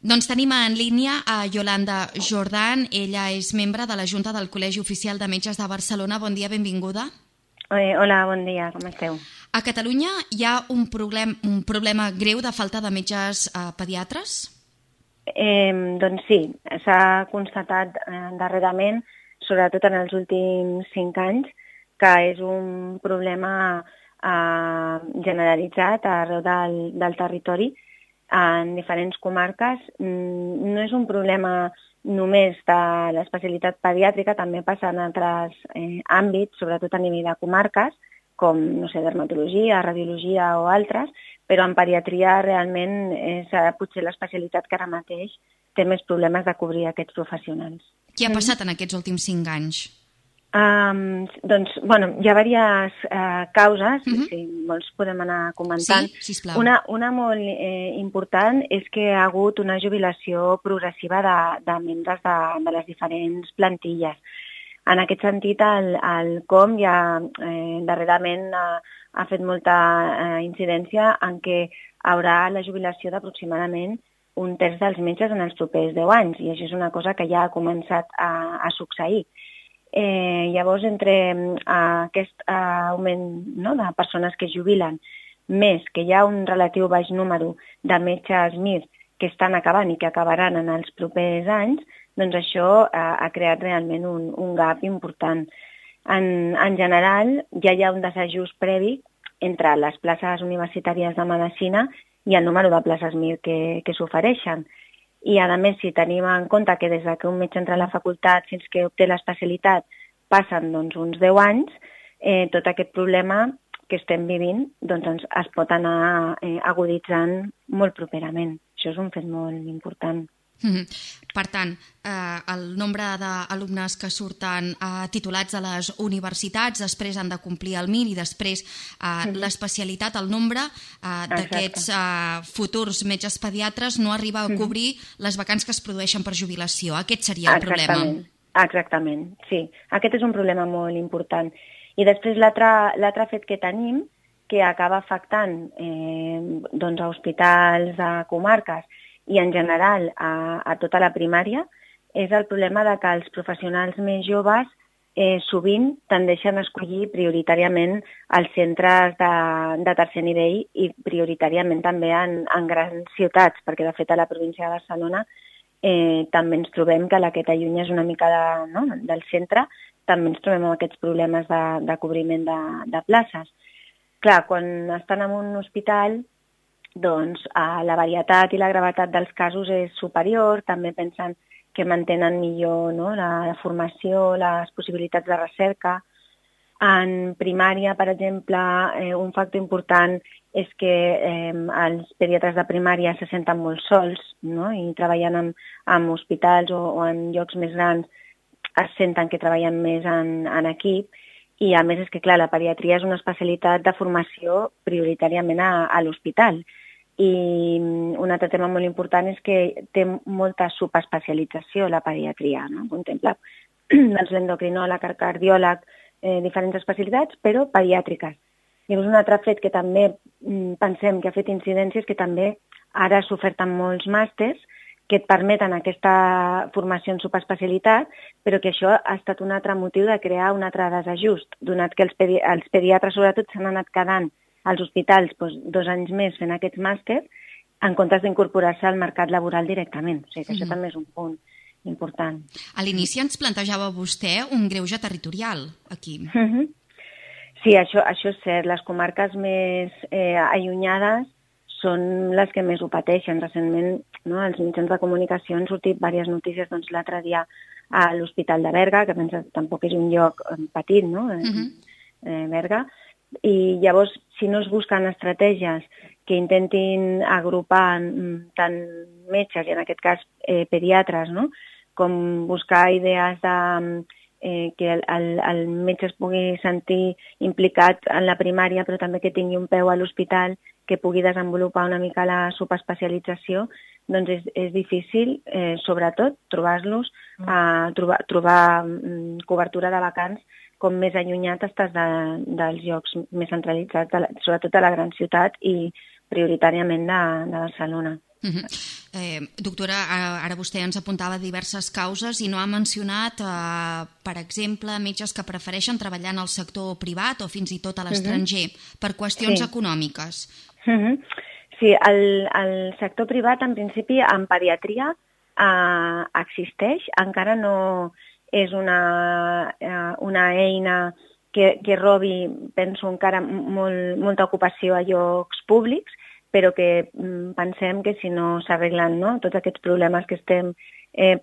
Doncs tenim en línia a Yolanda Jordan. Ella és membre de la Junta del Col·legi Oficial de Metges de Barcelona. Bon dia, benvinguda. Hola, bon dia, com esteu? A Catalunya hi ha un problema greu de falta de metges pediatres? Doncs sí, s'ha constatat darrerament, sobretot en els últims 5 anys, que és un problema generalitzat arreu del territori, en diferents comarques. No és un problema només de l'especialitat pediàtrica, també passa en altres àmbits, sobretot a nivell de comarques, com, no sé, dermatologia, radiologia o altres, però en pediatria realment és potser l'especialitat que ara mateix té més problemes de cobrir aquests professionals. Què ha passat en aquests últims 5 anys? Doncs, bueno, hi ha diverses causes, si vols podem anar comentant. Sí, sisplau. Una molt important és que hi ha hagut una jubilació progressiva de membres de les diferents plantilles. En aquest sentit, el COM ja darrerament ha fet molta incidència en què haurà la jubilació d'aproximadament un terç dels metges en els propers 10 anys, i això és una cosa que ja ha començat a succeir. Llavors, entre aquest augment de persones que es jubilen, més que hi ha un relatiu baix número de metges MIR que estan acabant i que acabaran en els propers anys, doncs això ha creat realment un gap important. En general, ja hi ha un desajust previ entre les places universitàries de medicina i el número de places MIR que s'ofereixen. I, a més, si tenim en compte que des que un metge entra a la facultat fins que obté l'especialitat passen uns 10 anys, tot aquest problema que estem vivint es pot anar aguditzant molt properament. Això és un fet molt important. Per tant, el nombre d'alumnes que surten titulats a les universitats després han de complir el MIR i després l'especialitat, el nombre d'aquests futurs metges pediatres no arriba a cobrir les vacants que es produeixen per jubilació. Aquest seria el problema. Exactament, sí. Aquest és un problema molt important. I després l'altre fet que tenim, que acaba afectant a hospitals, a comarques, i en general a tota la primària, és el problema de que els professionals més joves sovint tendeixen a escollir prioritàriament els centres de tercer nivell i prioritàriament també en grans ciutats, perquè de fet a la província de Barcelona també ens trobem que la que t'allunya és una mica del centre, també ens trobem amb aquests problemes de cobriment de places. Clar, quan estan en un hospital, doncs la varietat i la gravetat dels casos és superior, també pensen que mantenen millor la formació, les possibilitats de recerca. En primària, per exemple, un factor important és que els pediatres de primària se senten molt sols, i treballant en hospitals o en llocs més grans es senten que treballen més en equip. I a més és que, clar, la pediatria és una especialitat de formació prioritàriament a l'hospital. I un altre tema molt important és que té molta subespecialització la pediatria, no? Contempla l'endocrinòleg, el cardiòleg, diferents especialitats, però pediàtriques. Llavors, un altre fet que també pensem que ha fet incidències que també ara s'oferten molts màsters que et permeten aquesta formació en subespecialitat, però que això ha estat un altre motiu de crear un altre desajust, donat que els pediatres sobretot s'han anat quedant als hospitals 2 anys més fent aquests màsters en comptes d'incorporar-se al mercat laboral directament. O sigui que això també és un punt important. A l'inici ens plantejava vostè un greuge territorial aquí. Sí, això és cert. Les comarques més allunyades són les que més ho pateixen. Recentment, als mitjans de comunicació han sortit diverses notícies, l'altre dia a l'Hospital de Berga, que pensa que tampoc és un lloc petit, Berga. I llavors, si no es busquen estratègies que intentin agrupar tant metges, i en aquest cas pediatres, com buscar idees que el metge es pugui sentir implicat en la primària, però també que tingui un peu a l'hospital, que pugui desenvolupar una mica la subespecialització, doncs és difícil, sobretot, trobar-los, trobar cobertura de vacants com més allunyat estàs dels llocs més centralitzats, sobretot a la gran ciutat i prioritàriament de Barcelona. Doctora, ara vostè ens apuntava diverses causes i no ha mencionat, per exemple, metges que prefereixen treballar en el sector privat o fins i tot a l'estranger per qüestions econòmiques. Sí, el sector privat, en principi, en pediatria existeix, encara no és una eina que robi, penso, encara molta ocupació a llocs públics, però que pensem que si no s'arreglen tots aquests problemes que estem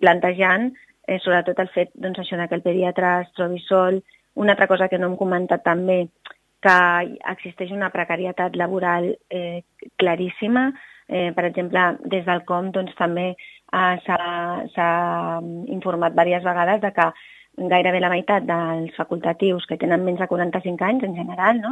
plantejant, sobretot el fet això que el pediatre es trobi sol. Una altra cosa que no hem comentat també, que existeix una precarietat laboral claríssima. Per exemple, des del COM també s'ha informat diverses vegades de que gairebé la meitat dels facultatius que tenen menys de 45 anys en general,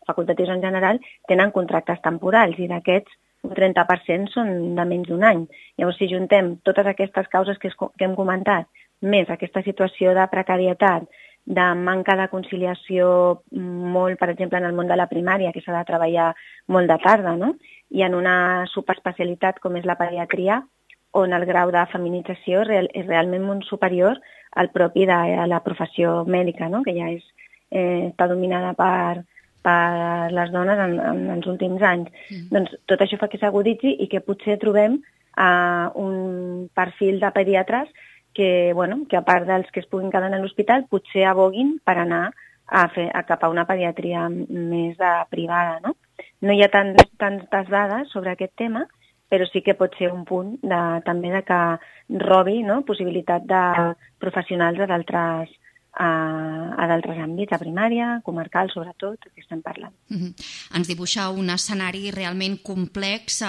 facultatius en general, tenen contractes temporals i d'aquests un 30% són de menys d'un any. Llavors, si juntem totes aquestes causes que hem comentat, més aquesta situació de precarietat, de manca de conciliació molt, per exemple, en el món de la primària, que s'ha de treballar molt de tarda, i en una subespecialitat com és la pediatria, on el grau de feminització és realment molt superior al propi de la professió mèdica, que ja està dominada per les dones en els últims anys. Doncs tot això fa que s'aguditzi i que potser trobem un perfil de pediatres que a part dels que es puguin quedar a l'hospital, potser aboguin per anar cap a una pediatria més privada. No hi ha tantes dades sobre aquest tema, però sí que pot ser un punt també de que robi possibilitat de professionals a d'altres àmbits, a primària, comarcal, sobretot, que estem parlant. Ens dibuixa un escenari realment complex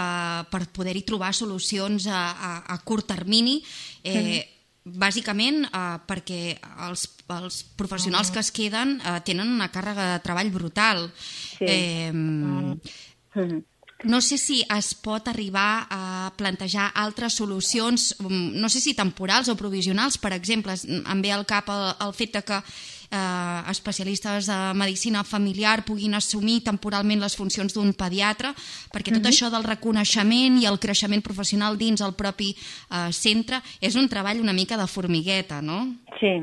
per poder-hi trobar solucions a curt termini, bàsicament perquè els professionals que es queden tenen una càrrega de treball brutal. No sé si es pot arribar a plantejar altres solucions, no sé si temporals o provisionals, per exemple, em ve al cap el fet que especialistes de medicina familiar puguin assumir temporalment les funcions d'un pediatre, perquè tot això del reconeixement i el creixement professional dins el propi centre és un treball una mica de formigueta, no? Sí.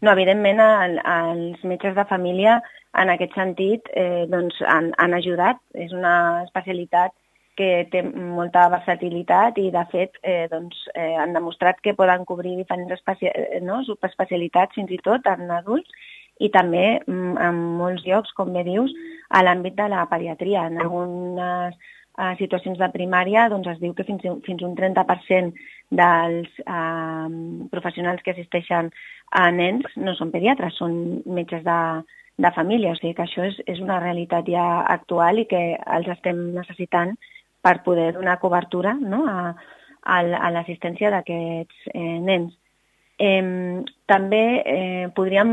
No, evidentment, els metges de família en aquest sentit han ajudat. És una especialitat que té molta versatilitat i, de fet, han demostrat que poden cobrir diferents subespecialitats, fins i tot en adults, i també en molts llocs, com bé dius, a l'àmbit de la pediatria. En algunes situacions de primària es diu que fins un 30% dels professionals que assisteixen a nens no són pediatres, són metges de família. O sigui que això és una realitat ja actual i que els estem necessitant per poder donar cobertura a l'assistència d'aquests nens. També podríem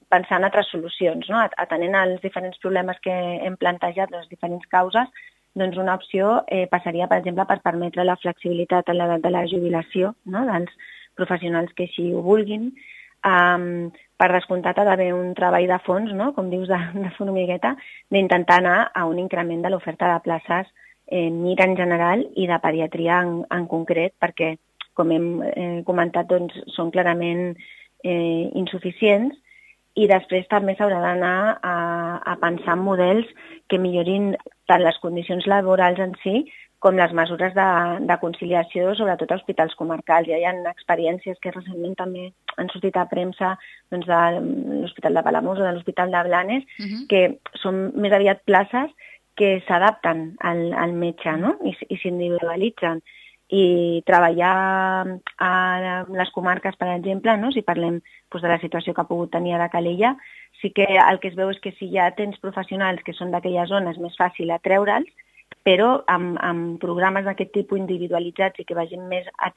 pensar en altres solucions, atenent als diferents problemes que hem plantejat, les diferents causes. Doncs una opció passaria, per exemple, per permetre la flexibilitat en l'edat de la jubilació dels professionals que així ho vulguin. Per descomptat ha d'haver un treball de fons, com dius, de formigueta, d'intentar anar a un increment de l'oferta de places MIR en general i de pediatria en concret, perquè, com hem comentat, són clarament insuficients. I després també s'haurà d'anar a pensar en models que millorin tant les condicions laborals en si com les mesures de conciliació, sobretot a hospitals comarcals. Ja hi ha experiències que recentment també han sortit a premsa de l'Hospital de Palamós o de l'Hospital de Blanes, que són més aviat places que s'adapten al metge i s'individualitzen. I treballar a les comarques, per exemple, si parlem de la situació que ha pogut tenir a Calella, sí que el que es veu és que si ja tens professionals que són d'aquella zona és més fàcil atreure'ls, però amb programes d'aquest tipus individualitzats i que vagin més a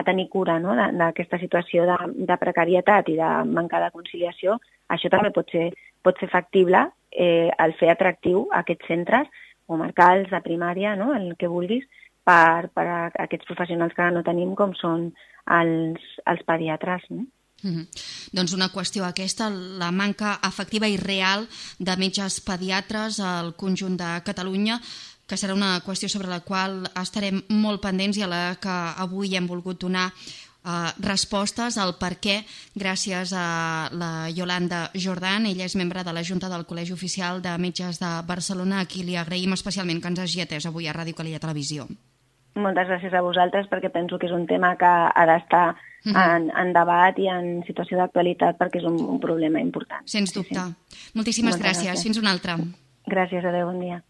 tenir cura d'aquesta situació de precarietat i de manca de conciliació, això també pot ser factible el fer atractiu aquests centres comarcals, de primària, el que vulguis, per a aquests professionals que no tenim, com són els pediatres. Doncs una qüestió aquesta, la manca efectiva i real de metges pediatres al conjunt de Catalunya. que serà una qüestió sobre la qual estarem molt pendents i a la que avui hem volgut donar respostes al per què, gràcies a la Yolanda Jordan. Ella és membre de la Junta del Col·legi Oficial de Metges de Barcelona, a qui li agraïm especialment que ens hagi atès avui a Ràdio Calella Televisió. Moltes gràcies a vosaltres, perquè penso que és un tema que ha d'estar en debat i en situació d'actualitat, perquè és un problema important. Sens dubte. Moltíssimes gràcies. Fins una altra. Gràcies, adeu, bon dia.